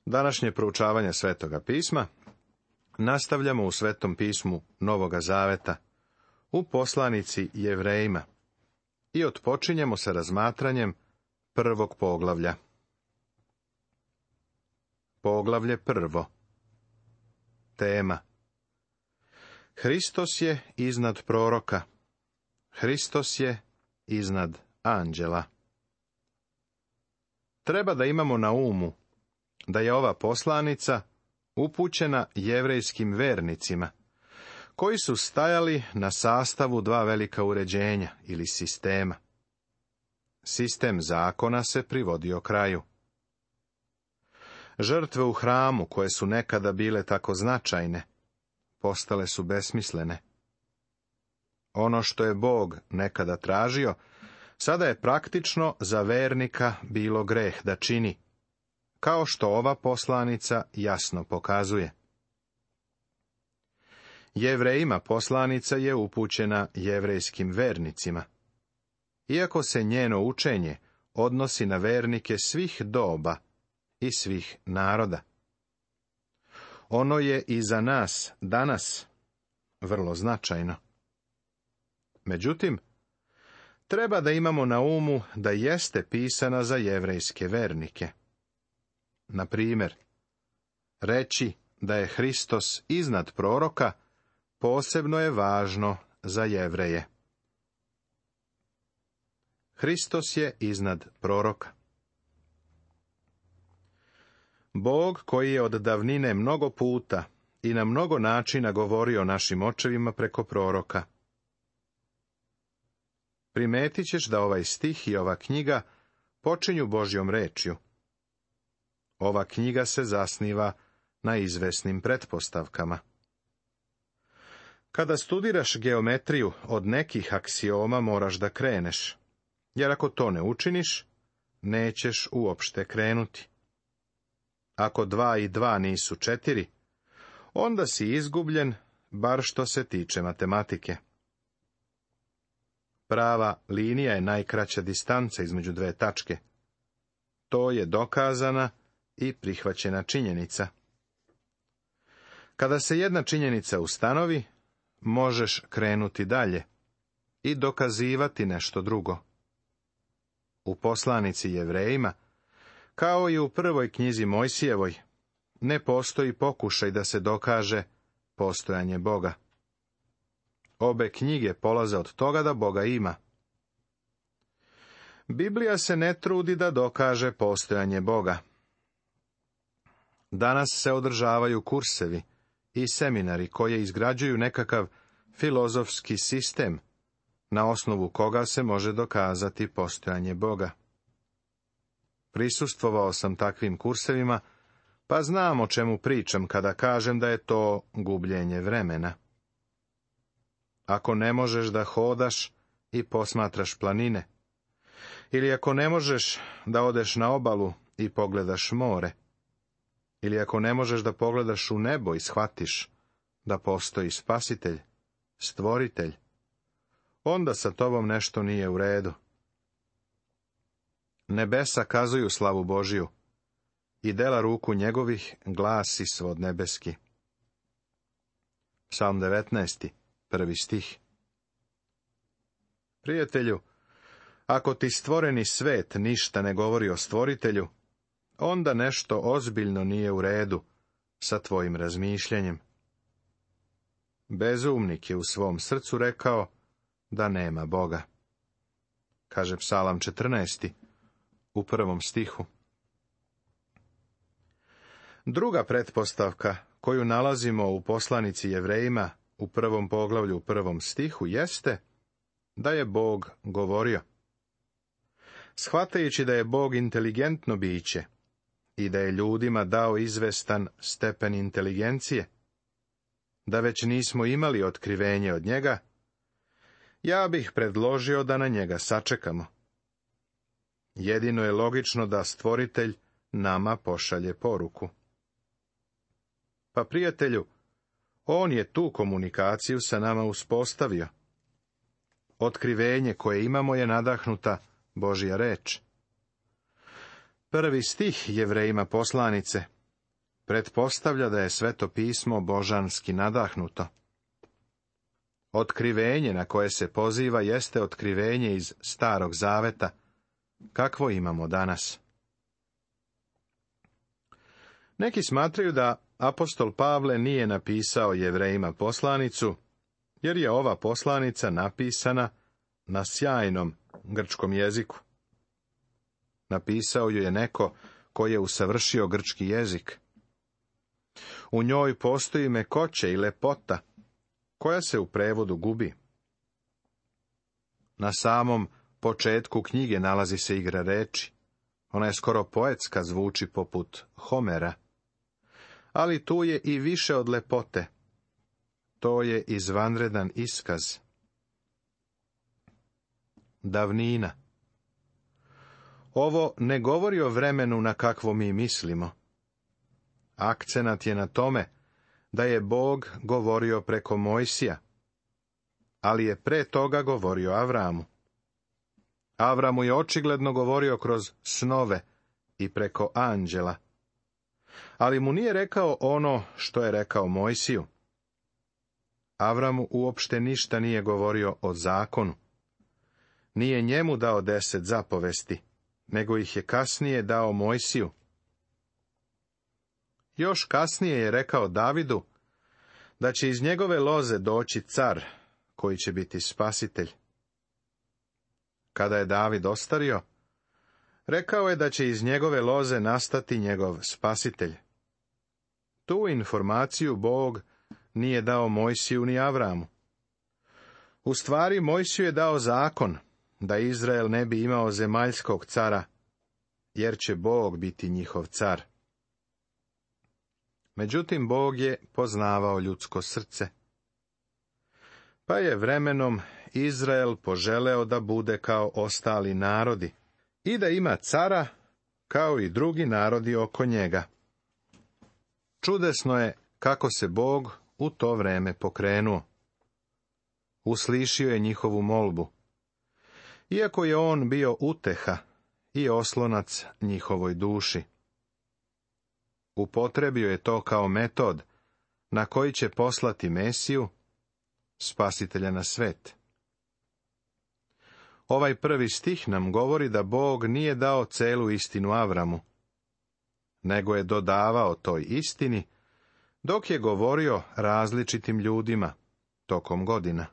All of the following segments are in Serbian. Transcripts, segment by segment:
Današnje proučavanje Svetoga pisma nastavljamo u Svetom pismu Novoga Zaveta, u poslanici Jevrejima, i otpočinjemo sa razmatranjem prvog poglavlja. Poglavlje prvo. Tema: Hristos je iznad proroka. Hristos je iznad anđela. Treba da imamo na umu da je ova poslanica upućena jevrejskim vernicima, koji su stajali na sastavu dva velika uređenja ili sistema. Sistem zakona se privodio kraju. Žrtve u hramu, koje su nekada bile tako značajne, postale su besmislene. Ono što je Bog nekada tražio, sada je praktično za vernika bilo greh da čini, kao što ova poslanica jasno pokazuje. Jevrejima poslanica je upućena jevrejskim vernicima, iako se njeno učenje odnosi na vernike svih doba i svih naroda. Ono je i za nas danas vrlo značajno. Međutim, treba da imamo na umu da jeste pisana za jevrejske vernike. Na primjer, reći da je Hristos iznad proroka posebno je važno za Jevreje. Hristos je iznad proroka. Bog, koji je od davnine mnogo puta i na mnogo načina govorio našim očevima preko proroka. Primetit ćeš da ovaj stih i ova knjiga počinju Božjom rečju. Ova knjiga se zasniva na izvesnim pretpostavkama. Kada studiraš geometriju, od nekih aksioma moraš da kreneš, jer ako to ne učiniš, nećeš uopšte krenuti. Ako 2 i 2 nisu 4, onda si izgubljen, bar što se tiče matematike. Prava linija je najkraća distanca između dve tačke. To je dokazana i prihvaćena činjenica. Kada se jedna činjenica ustanovi, možeš krenuti dalje i dokazivati nešto drugo. U poslanici Jevrejima, kao i u prvoj knjizi Mojsijevoj, ne postoji pokušaj da se dokaže postojanje Boga. Obe knjige polaze od toga da Boga ima. Biblija se ne trudi da dokaže postojanje Boga. Danas se održavaju kursevi i seminari koje izgrađuju nekakav filozofski sistem, na osnovu koga se može dokazati postojanje Boga. Prisustvovao sam takvim kursevima, pa znam o čemu pričam kada kažem da je to gubljenje vremena. Ako ne možeš da hodaš i posmatraš planine, ili ako ne možeš da odeš na obalu i pogledaš more, ili ako ne možeš da pogledaš u nebo i shvatiš da postoji Spasitelj, Stvoritelj, onda sa tobom nešto nije u redu. Nebesa kazuju slavu Božiju i dela ruku njegovih glasi svod nebeski. Psalm 19, 1. stih. Prijatelju, ako ti stvoreni svet ništa ne govori o Stvoritelju, onda nešto ozbiljno nije u redu sa tvojim razmišljanjem. Bezumnik je u svom srcu rekao da nema Boga, kaže Psalam 14, u 1. stihu. Druga pretpostavka koju nalazimo u poslanici Jevrejima u 1. poglavlju u 1. stihu jeste da je Bog govorio. Shvatajući da je Bog inteligentno biće i da je ljudima dao izvestan stepen inteligencije, da već nismo imali otkrivenje od njega, ja bih predložio da na njega sačekamo. Jedino je logično da Stvoritelj nama pošalje poruku. Pa prijatelju, on je tu komunikaciju sa nama uspostavio. Otkrivenje koje imamo je nadahnuta Božja reč. 1. stih Jevrejima poslanice pretpostavlja da je Sveto pismo božanski nadahnuto. Otkrivenje na koje se poziva jeste otkrivenje iz Starog zaveta, kakvo imamo danas. Neki smatraju da apostol Pavle nije napisao Jevrejima poslanicu, jer je ova poslanica napisana na sjajnom grčkom jeziku. Napisao ju je neko ko je usavršio grčki jezik. U njoj postoji mekoće i lepota, koja se u prevodu gubi. Na samom početku knjige nalazi se igra reči. Ona je skoro poetska, zvuči poput Homera. Ali tu je i više od lepote. To je izvanredan iskaz. Davnina. Ovo ne govori o vremenu na kakvo mi mislimo. Akcenat je na tome da je Bog govorio preko Mojsija, ali je pre toga govorio Avramu. Avramu je očigledno govorio kroz snove i preko anđela, ali mu nije rekao ono što je rekao Mojsiju. Avramu uopšte ništa nije govorio o zakonu. Nije njemu dao 10 zapovesti, nego ih je kasnije dao Mojsiju. Još kasnije je rekao Davidu da će iz njegove loze doći car, koji će biti spasitelj. Kada je David ostario, rekao je da će iz njegove loze nastati njegov spasitelj. Tu informaciju Bog nije dao Mojsiju ni Avramu. U stvari, Mojsiju je dao zakon, da Izrael ne bi imao zemaljskog cara, jer će Bog biti njihov car. Međutim, Bog je poznavao ljudsko srce. Pa je vremenom Izrael poželeo da bude kao ostali narodi i da ima cara kao i drugi narodi oko njega. Čudesno je kako se Bog u to vreme pokrenuo. Uslišio je njihovu molbu, iako je on bio uteha i oslonac njihovoj duši. Upotrebio je to kao metod na koji će poslati Mesiju, spasitelja na svet. Ovaj prvi stih nam govori da Bog nije dao celu istinu Avramu, nego je dodavao toj istini, dok je govorio različitim ljudima tokom godina.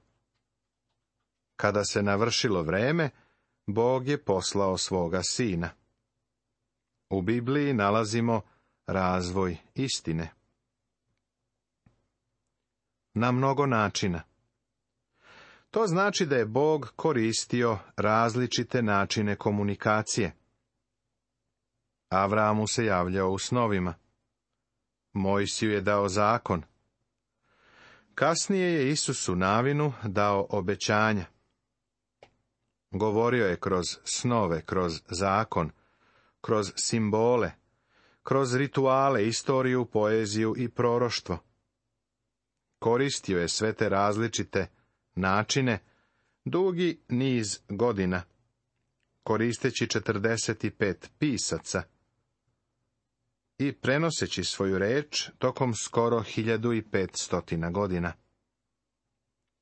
Kada se navršilo vreme, Bog je poslao svoga sina. U Bibliji nalazimo razvoj istine. Na mnogo načina. To znači da je Bog koristio različite načine komunikacije. Avramu se javljao u snovima. Mojsiju je dao zakon. Kasnije je Isusu Navinu dao obećanja. Govorio je kroz snove, kroz zakon, kroz simbole, kroz rituale, istoriju, poeziju i proroštvo. Koristio je sve te različite načine dugi niz godina, koristeći 45 pisaca i prenoseći svoju reč tokom skoro 1500 godina.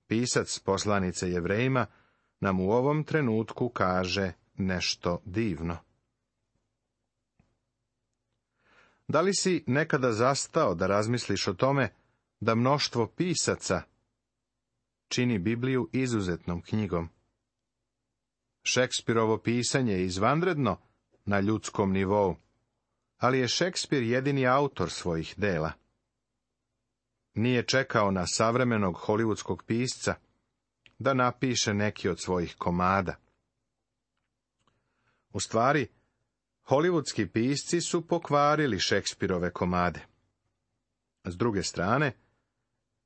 Pisac poslanice Jevrejima nam u ovom trenutku kaže nešto divno. Da li si nekada zastao da razmisliš o tome da mnoštvo pisaca čini Bibliju izuzetnom knjigom? Šekspirovo pisanje je izvanredno na ljudskom nivou, ali je Šekspir jedini autor svojih dela. Nije čekao na savremenog hollywoodskog pisca da napiše neki od svojih komada. U stvari, hollywoodski pisci su pokvarili Šekspirove komade. S druge strane,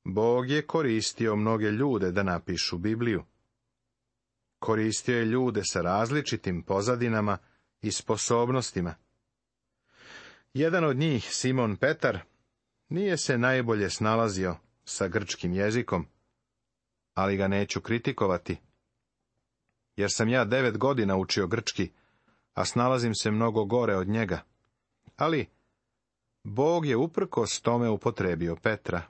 Bog je koristio mnoge ljude da napišu Bibliju. Koristio je ljude sa različitim pozadinama i sposobnostima. Jedan od njih, Simon Petar, nije se najbolje snalazio sa grčkim jezikom, ali ga neću kritikovati, jer sam ja 9 godina učio grčki, a snalazim se mnogo gore od njega. Ali Bog je uprkos tome upotrebio Petra.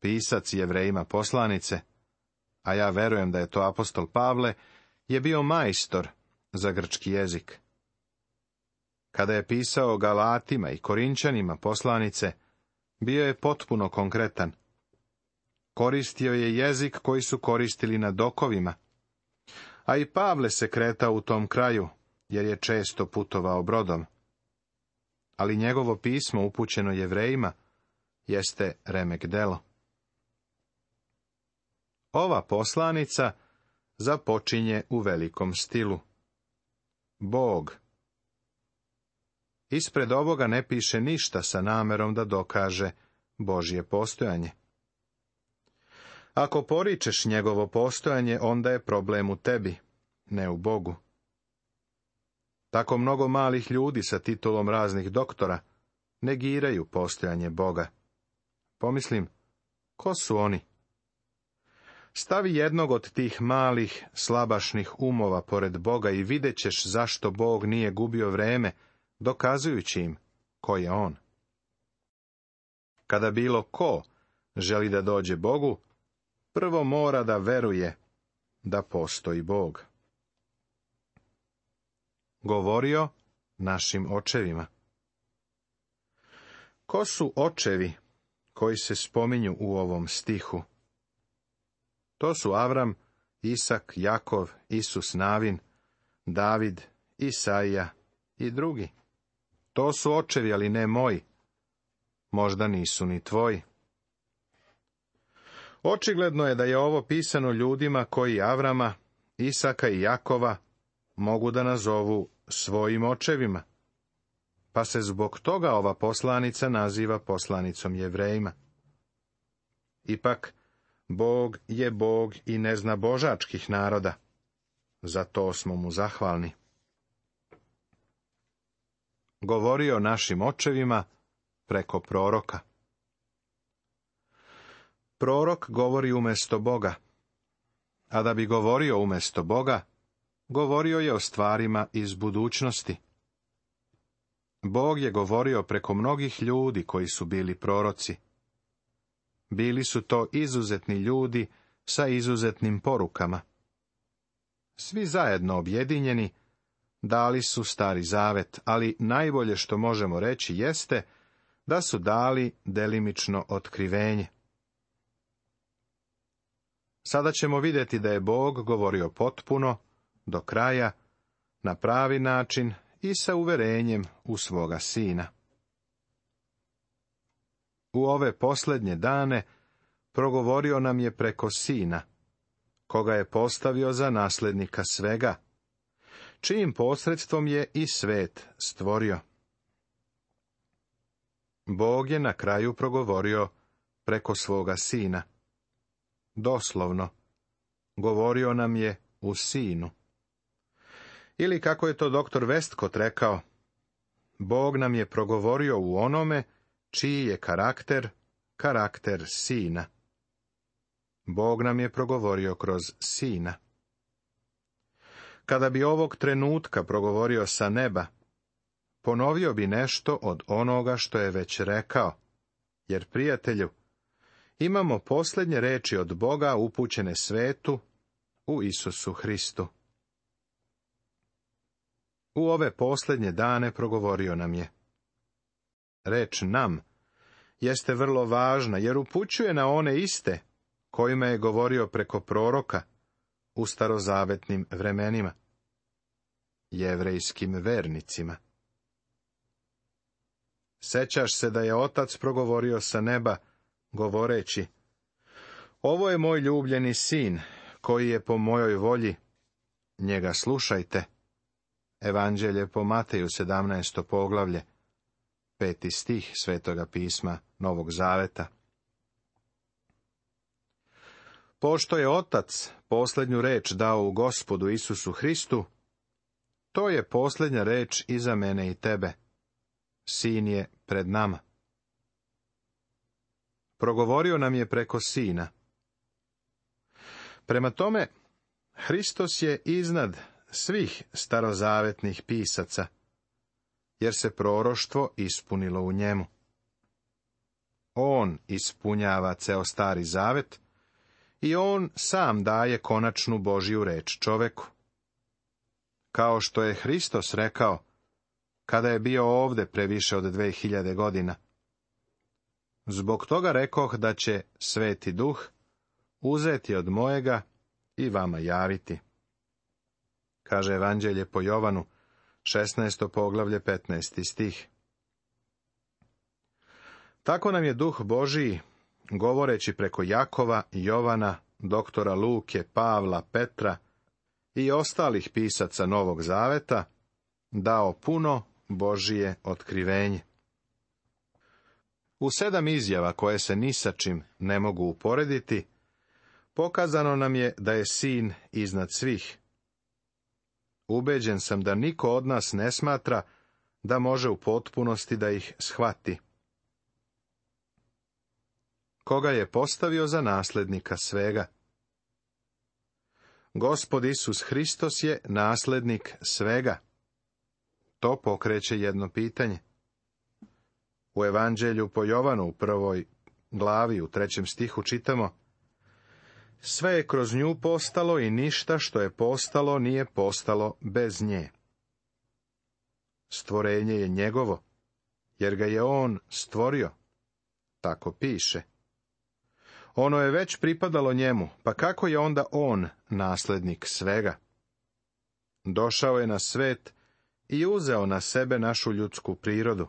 Pisac Jevrejima poslanice, a ja verujem da je to apostol Pavle, je bio majstor za grčki jezik. Kada je pisao Galatima i Korinčanima poslanice, bio je potpuno konkretan. Koristio je jezik koji su koristili na dokovima, a i Pavle se kretao u tom kraju, jer je često putovao brodom. Ali njegovo pismo upućeno Jevrejima jeste remek delo. Ova poslanica započinje u velikom stilu. Bog. Ispred ovoga ne piše ništa sa namerom da dokaže Božje postojanje. Ako poričeš njegovo postojanje, onda je problem u tebi, ne u Bogu. Tako mnogo malih ljudi sa titulom raznih doktora negiraju postojanje Boga. Pomislim, ko su oni? Stavi jednog od tih malih, slabašnih umova pored Boga i vidjet ćeš zašto Bog nije gubio vreme, dokazujući im ko je on. Kada bilo ko želi da dođe Bogu, prvo mora da veruje da postoji Bog. Govorio našim očevima. Ko su očevi koji se spominju u ovom stihu? To su Avram, Isak, Jakov, Isus Navin, David, Isaija i drugi. To su očevi, ali ne moji. Možda nisu ni tvoji. Očigledno je da je ovo pisano ljudima koji Avrama, Isaka i Jakova mogu da nazovu svojim očevima, pa se zbog toga ova poslanica naziva poslanicom Jevrejima. Ipak, Bog je Bog i ne zna božačkih naroda. Za to smo mu zahvalni. Govorio našim očevima preko proroka. Prorok govori umjesto Boga, a da bi govorio umjesto Boga, govorio je o stvarima iz budućnosti. Bog je govorio preko mnogih ljudi koji su bili proroci. Bili su to izuzetni ljudi sa izuzetnim porukama. Svi zajedno objedinjeni dali su Stari Zavet, ali najbolje što možemo reći jeste da su dali delimično otkrivenje. Sada ćemo vidjeti da je Bog govorio potpuno, do kraja, na pravi način i sa uverenjem u svoga Sina. U ove posljednje dane progovorio nam je preko Sina, koga je postavio za nasljednika svega, čijim posredstvom je i svet stvorio. Bog je na kraju progovorio preko svoga Sina. Doslovno, govorio nam je u Sinu. Ili kako je to doktor Westcott rekao, Bog nam je progovorio u onome čiji je karakter Sina. Bog nam je progovorio kroz Sina. Kada bi ovog trenutka progovorio sa neba, ponovio bi nešto od onoga što je već rekao, jer, prijatelju, imamo posljednje reči od Boga upućene svetu u Isusu Hristu. U ove posljednje dane progovorio nam je. Reč nam jeste vrlo važna, jer upućuje na one iste kojima je govorio preko proroka u starozavetnim vremenima, jevrejskim vernicima. Sećaš se da je Otac progovorio sa neba, govoreći, ovo je moj ljubljeni sin, koji je po mojoj volji, njega slušajte. Evanđelje po Mateju 17. poglavlje, 5. stih Svetoga pisma Novog Zaveta. Pošto je Otac posljednju reč dao u Gospodu Isusu Hristu, to je posljednja reč i za mene i tebe. Sin je pred nama. Progovorio nam je preko Sina. Prema tome, Hristos je iznad svih starozavetnih pisaca, jer se proroštvo ispunilo u njemu. On ispunjava ceo Stari Zavet i on sam daje konačnu Božju reč čoveku. Kao što je Hristos rekao, kada je bio ovde pre više od 2000 godina. Zbog toga rekoh da će Sveti Duh uzeti od mojega i vama javiti. Kaže Evanđelje po Jovanu, 16. poglavlje, 15. stih. Tako nam je Duh Božiji, govoreći preko Jakova, Jovana, doktora Luke, Pavla, Petra i ostalih pisaca Novog Zaveta, dao puno Božije otkrivenje. U 7 izjava koje se ni sa čim ne mogu uporediti, pokazano nam je da je Sin iznad svih. Ubeđen sam da niko od nas ne smatra da može u potpunosti da ih shvati. Koga je postavio za naslednika svega? Gospod Isus Hristos je naslednik svega. To pokreće jedno pitanje. U Evanđelju po Jovanu u 1. glavi u 3. stihu čitamo: sve je kroz nju postalo i ništa što je postalo nije postalo bez nje. Stvorenje je njegovo, jer ga je on stvorio. Tako piše. Ono je već pripadalo njemu, pa kako je onda on naslednik svega? Došao je na svet i uzeo na sebe našu ljudsku prirodu.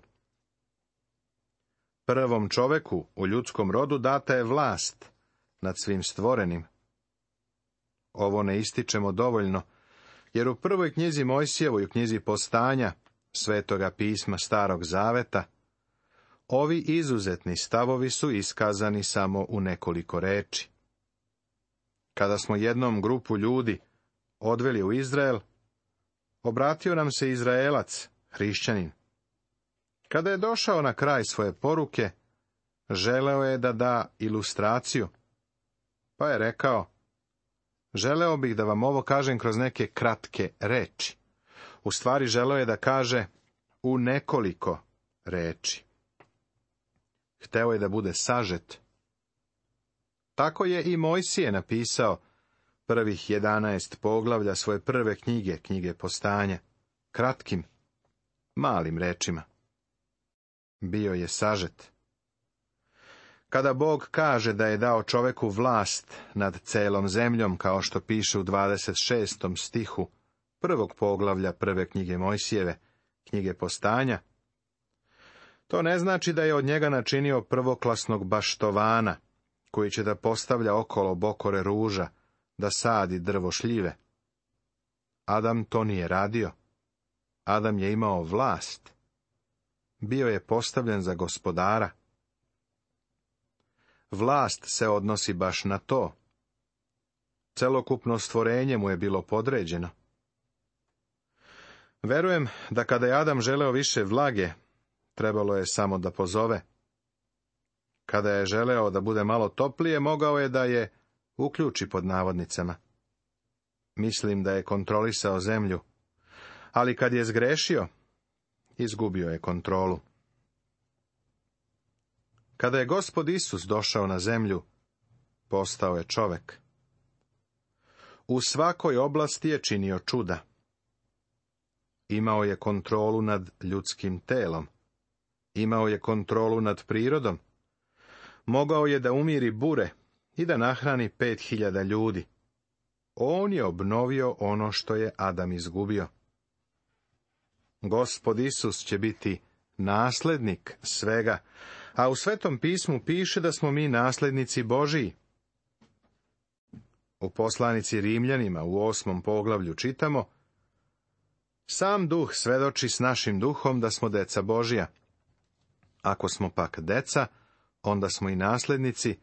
Prvom čoveku u ljudskom rodu data je vlast nad svim stvorenim. Ovo ne ističemo dovoljno, jer u prvoj knjizi Mojsijevoj, u knjizi Postanja, Svetoga pisma Starog Zaveta, ovi izuzetni stavovi su iskazani samo u nekoliko reči. Kada smo jednom grupu ljudi odveli u Izrael, obratio nam se Izraelac, hrišćanin. Kada je došao na kraj svoje poruke, želeo je da da ilustraciju, pa je rekao: želeo bih da vam ovo kažem kroz neke kratke reči. U stvari želeo je da kaže u nekoliko reči. Hteo je da bude sažet. Tako je i Mojsije napisao prvih 11 poglavlja svoje prve knjige, knjige Postanja, kratkim, malim rečima. Bio je sažet. Kada Bog kaže da je dao čoveku vlast nad celom zemljom, kao što piše u 26. stihu 1. poglavlja prve knjige Mojsijeve, knjige Postanja, to ne znači da je od njega načinio prvoklasnog baštovana, koji će da postavlja okolo bokore ruža, da sadi drvo šljive. Adam to nije radio. Adam je imao vlast. Bio je postavljen za gospodara. Vlast se odnosi baš na to. Celokupno stvorenje mu je bilo podređeno. Verujem da kada je Adam želeo više vlage, trebalo je samo da pozove. Kada je želeo da bude malo toplije, mogao je da je uključi pod navodnicama. Mislim da je kontrolisao zemlju, ali kad je zgrešio, izgubio je kontrolu. Kada je Gospod Isus došao na zemlju, postao je čovek. U svakoj oblasti je činio čuda. Imao je kontrolu nad ljudskim telom. Imao je kontrolu nad prirodom. Mogao je da umiri bure i da nahrani 5000 ljudi. On je obnovio ono što je Adam izgubio. Gospod Isus će biti naslednik svega, a u Svetom pismu piše da smo mi naslednici Božiji. U poslanici Rimljanima u 8. poglavlju čitamo: sam Duh svedoči s našim duhom da smo deca Božija. Ako smo pak deca, onda smo i naslednici.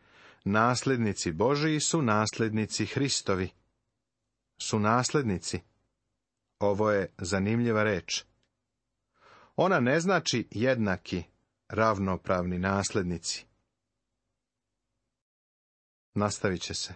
Naslednici Božiji su naslednici Hristovi. Su naslednici. Ovo je zanimljiva reč. Ona ne znači jednaki, ravnopravni naslednici. Nastavit će se.